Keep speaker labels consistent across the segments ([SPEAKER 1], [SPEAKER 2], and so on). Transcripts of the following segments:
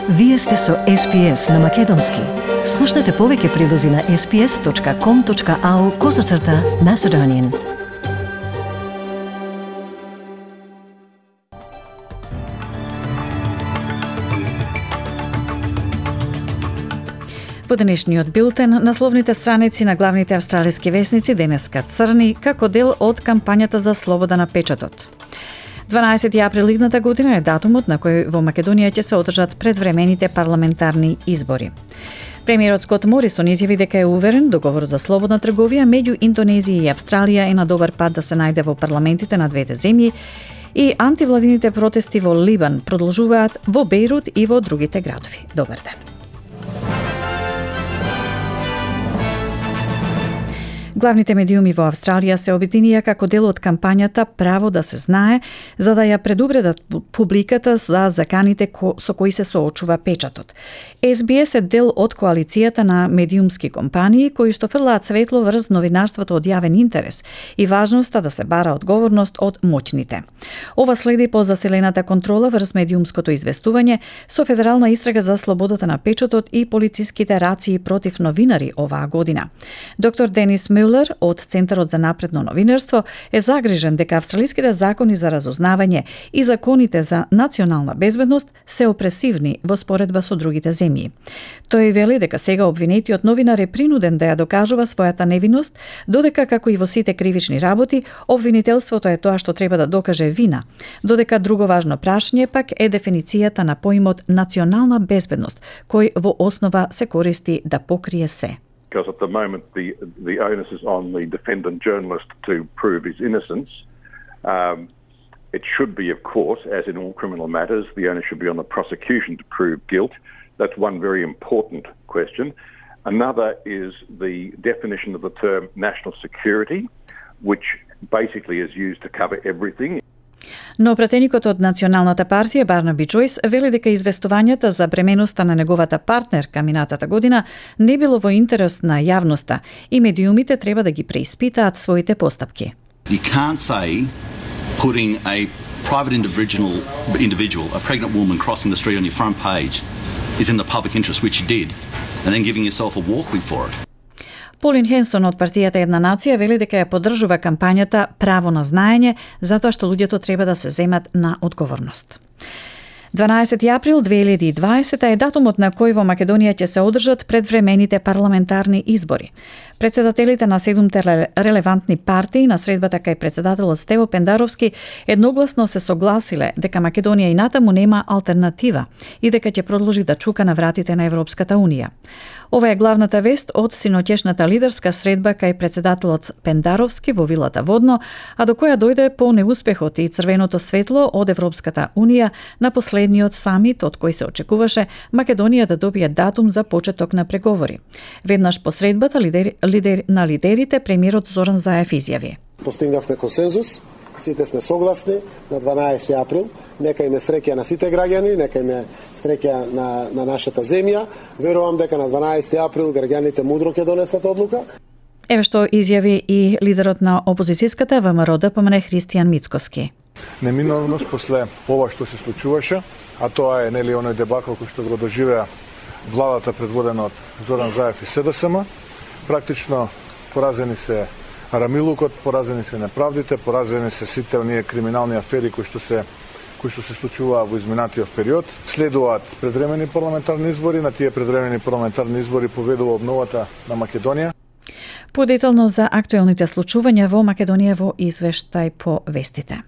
[SPEAKER 1] Вие сте со SPS на Македонски. Слушнете повеќе прилози на sps.com.au/Macedonian. Во денешниот билтен, насловните страници на главните австралиски весници денеска црни како дел од кампањата за слобода на печатот. 12 април идната година е датумот на кој во Македонија ќе се одржат предвремените парламентарни избори. Премиерот Скот Морисон изјави дека е уверен договорот за слободна трговија меѓу Индонезија и Австралија е на добар пат да се најде во парламентите на двете земји и антивладините протести во Либан продолжуваат во Бејрут и во другите градови. Добар ден. Главните медиуми во Австралија се обединија како дел од кампањата Право да се знае, за да ја предупредат публиката за заканите со кои се соочува печатот. SBS е дел од коалицијата на медиумски компании кои што фрлаат светло врз новинарството од јавен интерес и важноста да се бара одговорност од моќните. Ова следи по заселената контрола врз медиумското известување со федерална истрага за слободата на печатот и полициските рации против новинари оваа година. Доктор Денис Мюлер од Центарот за напредно новинарство е загрижен дека австралиските закони за разузнавање и законите за национална безбедност се опресивни во споредба со другите земји. Тој вели дека сега обвинетиот новинар е принуден да ја докажува својата невиност, додека како и во сите кривични работи, обвинителството е тоа што треба да докаже вина, додека друго важно прашање пак е дефиницијата на поимот национална безбедност, кој во основа се користи да покрие се.
[SPEAKER 2] Because at the moment the onus is on the defendant journalist to prove his innocence. It should be, of course, as in all criminal matters, the onus should be on the prosecution to prove guilt. That's one very important question. Another is the definition of the term national security, which basically is used to cover everything.
[SPEAKER 1] Но пратеникот од Националната партија Барнаби Джойс вели дека известувањата за бременоста на неговата партнерка минатата година не било во интерес на јавноста и медиумите треба да ги преиспитаат своите постапки.
[SPEAKER 3] You can't say putting a private individual, a pregnant woman crossing the street on your front page is in the public interest, which you did, and then giving yourself a walkway for it.
[SPEAKER 1] Полин Хенсон од партијата Една нација вели дека ја поддржува кампањата Право на знаење, затоа што луѓето треба да се земат на одговорност. 12 април 2020 е датумот на кој во Македонија ќе се одржат предвремените парламентарни избори. Председателите на 7 релевантни партии на средбата кај председателот Стево Пендаровски едногласно се согласиле дека Македонија и натаму нема алтернатива и дека ќе продолжи да чука на вратите на Европската Унија. Ова е главната вест од синоќешната лидерска средба кај председателот Пендаровски во вилата Водно, а до која дојде по неуспехот и црвеното светло од Европската Унија на последниот самит од кој се очекуваше Македонија да добие датум за почеток на преговори. Веднаш по средбата на лидерите премиерот Зоран Заев изјави:
[SPEAKER 4] Постигнавме консензус, сите сме согласни на 12 април. Нека име среќа на сите граѓани, нека име среќа на нашата земја. Верувам дека на 12 април граѓаните мудро ќе донесат одлука.
[SPEAKER 1] Еве што изјави и лидерот на опозицијската ВМРО-ДПМН Христијан Мицковски.
[SPEAKER 5] Неминовност после ова што се случуваше, а тоа е нели оној дебакл кој што го доживеа владата предводена од Зоран Заев и СДСМ, практично поразени се рамилукот, поразени се неправдите, поразени се сите оние криминални афери кои што се случуваа во изминатиот период. Следуваат предвремени парламентарни избори, на тие предвремени парламентарни избори победува обновата на Македонија.
[SPEAKER 1] Подетално за актуелните случувања во Македонија во извештај по вестите.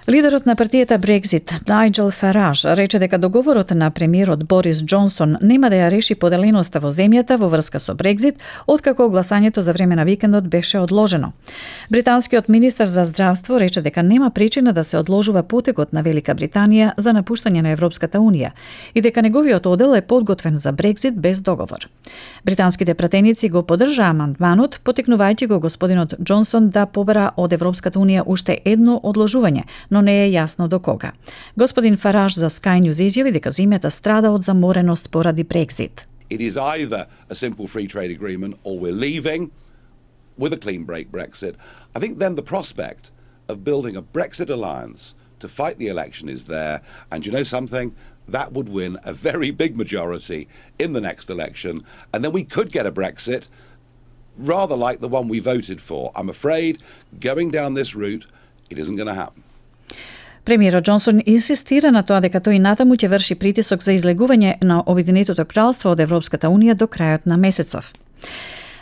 [SPEAKER 1] Лидерот на партијата Брекзит, Најджел Фараж, рече дека договорот на премиерот Борис Џонсон нема да ја реши поделеноста во земјата во врска со Брекзит, откако гласањето за време на викендот беше одложено. Британскиот министер за здравство рече дека нема причина да се одложува потекот на Велика Британија за напуштање на Европската Унија и дека неговиот одел е подготвен за Брекзит без договор. Британските пратеници го поддржаа амандманот, потекнувајќи го господинот Џонсон да побара од Европската Унија уште едно одложување, но не е јасно до кога. Господин Фараж за Sky News изјави дека земјата страда од замореност поради Брекзит.
[SPEAKER 6] It is either a simple free trade agreement or we're leaving with a clean break Brexit. I think then the prospect of building a Brexit alliance to fight the election is there, and you know something, that would win a very big majority in the next election, and then we could get a Brexit rather like the one we voted for. I'm afraid going down this route, it isn't going to happen.
[SPEAKER 1] Премиерот Џонсон инсистира на тоа дека тој натаму ќе врши притисок за излегување на Обединетото кралство од Европската унија до крајот на месецов.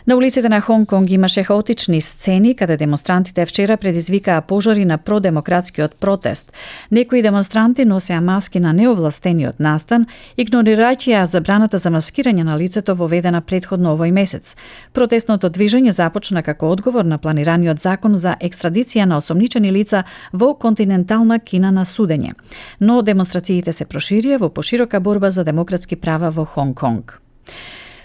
[SPEAKER 1] На улиците на Хонг Конг имаше хаотични сцени каде демонстрантите вчера предизвикаа пожари на продемократскиот протест. Некои демонстранти носеа маски на неовластениот настан, игнорирајќи ја забраната за маскирање на лицето воведена претходно овој месец. Протестното движење започна како одговор на планираниот закон за екстрадиција на осомничени лица во континентална Кина на судење. Но демонстрациите се проширија во поширока борба за демократски права во Хонг Конг.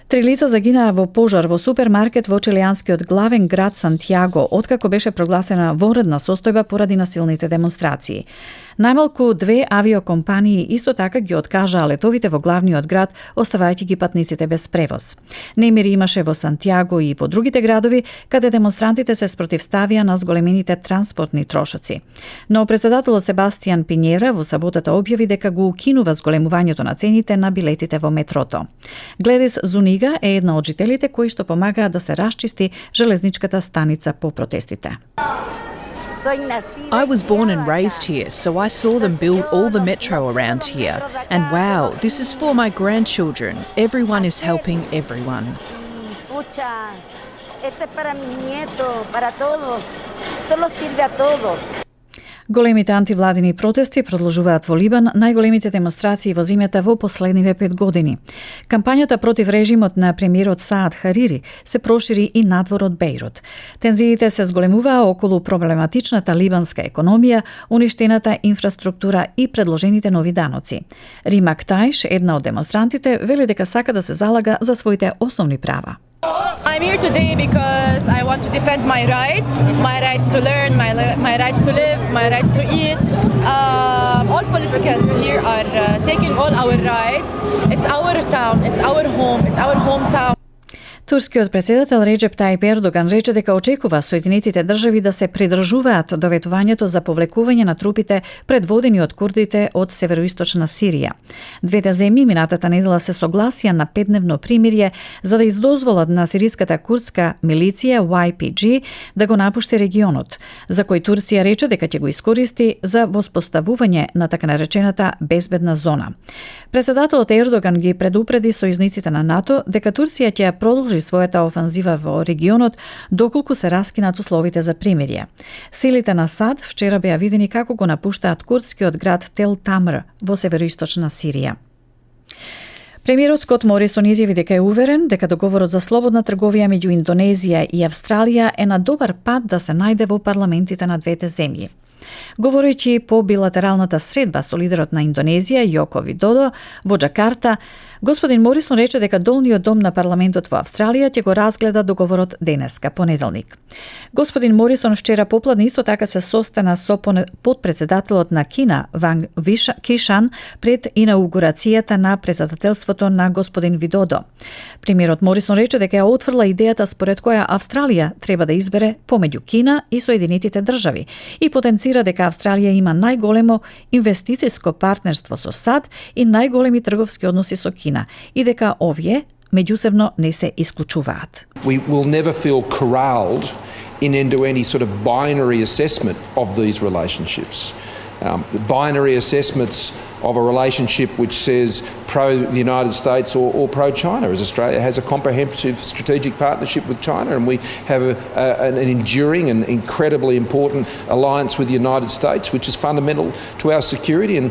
[SPEAKER 1] 3 лица загинаа во пожар во супермаркет во чилијанскиот главен град Сантјаго, откако беше прогласена вонредна состојба поради насилните демонстрации. Најмалку 2 авиокомпании исто така ги откажаа летовите во главниот град, оставајќи ги патниците без превоз. Немири имаше во Сантјаго и во другите градови, каде демонстрантите се спротивставија на зголемените транспортни трошоци. Но председателот Себастијан Пинјера во саботата објави дека го укинува зголемувањето на цените на билетите во метрото. Гледис Зунига е една од жителите кои што помагаат да се расчисти железничката станица по протестите.
[SPEAKER 7] I was born and raised here, so I saw them build all the metro around here. And wow, this is for my grandchildren. Everyone is helping everyone.
[SPEAKER 8] Este es para mi nieto, para todos. Solo sirve a todos.
[SPEAKER 1] Големите антивладини протести продолжуваат во Либан, најголемите демонстрации во земјата во последниве 5 години. Кампањата против режимот на премиерот Саад Харири се прошири и надвор од Бејрут. Тензиите се зголемуваа околу проблематичната либанска економија, уништената инфраструктура и предложените нови даноци. Рима Ктаиш, една од демонстрантите, вели дека сака да се залага за своите основни права.
[SPEAKER 9] I'm here today because I want to defend my rights to learn, my rights to live, my rights to eat. All politicians here are taking all our rights. It's our town, it's our home, it's our hometown.
[SPEAKER 1] Турскиот председател Реџеп Тајип Ердоган рече дека очекува Соединетите држави да се придржуваат до ветувањето за повлекување на трупите предводени од курдите од североисточна Сирија. Двете земји минатата недела се согласија на 5-дневно примирје за да издозволат на сириската курдска милиција YPG да го напушти регионот, за кој Турција рече дека ќе го искористи за воспоставување на така наречената безбедна зона. Председателот Ердоган ги предупреди сојузниците на НАТО дека Турција ќе продолжи својата офанзива во регионот доколку се раскинат условите за примирје. Силите на САД вчера беа видени како го напуштаат курдскиот град Тел Тамр во североисточна Сирија. Премиерот Скот Морисон изјави дека е уверен дека договорот за слободна трговија меѓу Индонезија и Австралија е на добар пат да се најде во парламентите на двете земји. Говорејќи по билатералната средба со лидерот на Индонезија Јоко Видодо во Џакарта, господин Морисон рече дека долниот дом на парламентот во Австралија ќе го разгледа договорот денеска, понеделник. Господин Морисон вчера попладне исто така се состана со подпредседателот на Кина Ванг Кишан пред инаугурацијата на председателството на господин Видодо. Премиерот Морисон рече дека ја отфрла идејата според која Австралија треба да избере помеѓу Кина и Соединетите држави и потенцира дека Австралија има најголемо инвестициско партнерство со САД и најголеми трговски односи со Кина и дека овие меѓусебно не се исклучуваат.
[SPEAKER 10] We will never feel corralled into any sort of binary assessment of these relationships. Binary assessments of a relationship which says pro the United States or pro China, as Australia has a comprehensive strategic partnership with China, and we have an enduring and incredibly important alliance with the United States, which is fundamental to our security. And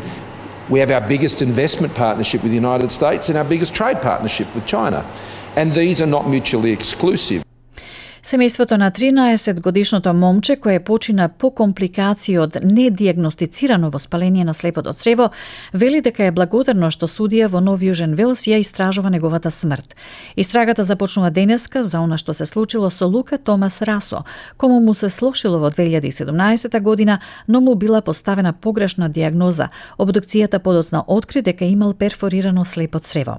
[SPEAKER 10] we have our biggest investment partnership with the United States and our biggest trade partnership with China. And these are not mutually exclusive.
[SPEAKER 1] Семејството на 13-годишното момче кое почина по компликации од недиагностицирано воспаление на слепото црево, вели дека е благодарно што судија во Нов Јужен Велс ја истражува неговата смрт. Истрагата започнува денеска за она што се случило со Лука Томас Расо, кому му се слошило во 2017 година, но му била поставена погрешна диагноза. Обдукцијата подоцна откри дека имал перфорирано слепо црево.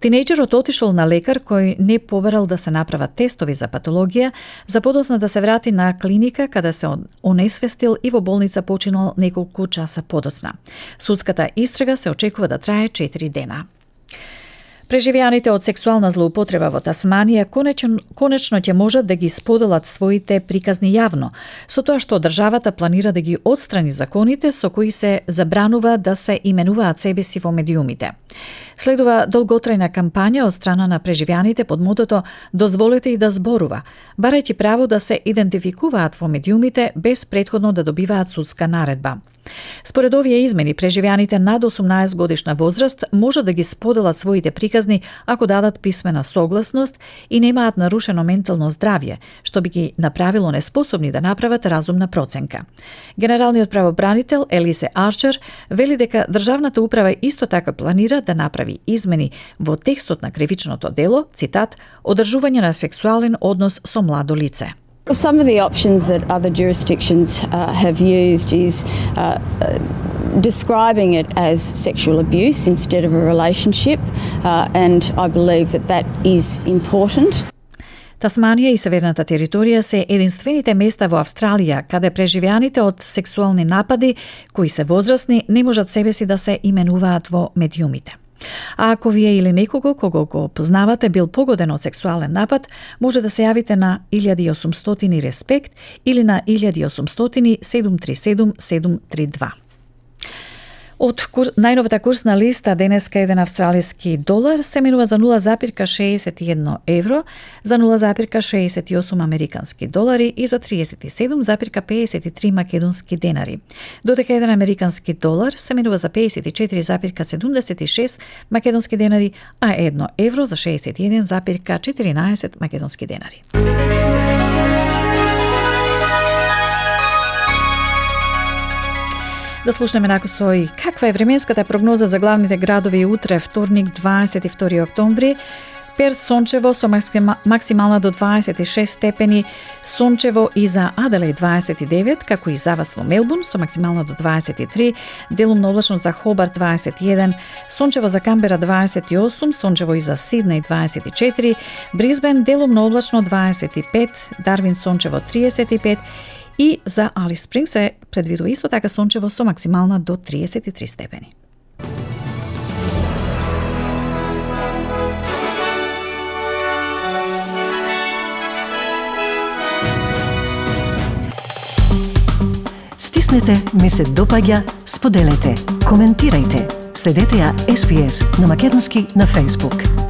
[SPEAKER 1] Тинејџерот отишол на лекар кој не побарал да се направат тестови за патологија судија за подоцна да се врати на клиника каде се онесвестил и во болница починал неколку часа подоцна. Судската истрага се очекува да трае 4 дена. Преживеаните од сексуална злоупотреба во Тасманија конечно ќе можат да ги споделат своите приказни јавно, со тоа што државата планира да ги отстрани законите со кои се забранува да се именуваат себеси во медиумите. Следува долготрајна кампања од страна на преживеаните под мотото "Дозволете и да зборува", барајќи право да се идентификуваат во медиумите без претходно да добиваат судска наредба. Според овие измени, преживеаните над 18 годишна возраст може да ги споделат своите приказни ако дадат писмена согласност и немаат нарушено ментално здравје, што би ги направило неспособни да направат разумна проценка. Генералниот правобранител Елисе Арчер вели дека државната управа исто така планира да направи измени во текстот на кривичното дело, цитат, "одржување на сексуален однос со младо лице".
[SPEAKER 11] Some of the options that other jurisdictions have used is describing it as sexual abuse instead of a relationship, and I believe that is important.
[SPEAKER 1] Тасманија и Северната територија се единствените места во Австралија каде преживеаните од сексуални напади кои се возрастни не можат себеси да се именуваат во медиумите. А ако вие или некого кого го познавате бил погоден од сексуален напад, може да се јавите на 1800 респект или на 1800 737 732. Од најновата курсна листа денеска еден австралиски долар се менува за 0,61 евро, за 0,68 американски долари и за 37,53 македонски денари. Додека еден американски долар се менува за 54,76 македонски денари, а 1 евро за 61,14 македонски денари. Да слушнеме накусој каква е временската прогноза за главните градови утре, вторник, 22 октомври. Перт сончево со максимална до 26 степени, сончево и за Аделаид 29, како и за вас во Мелбурн со максимална до 23, делумно облачно за Хобарт 21, сончево за Камбера 28, сончево и за Сиднеј 24, Брисбен делумно облачно 25, Дарвин сончево 35, и за Алис Спрингс се предвидува исто така сончево со максимална до 33 степени.
[SPEAKER 12] Стиснете, ми се допаѓа, споделете, коментирајте. Следете ја SPS на Македонски на Facebook.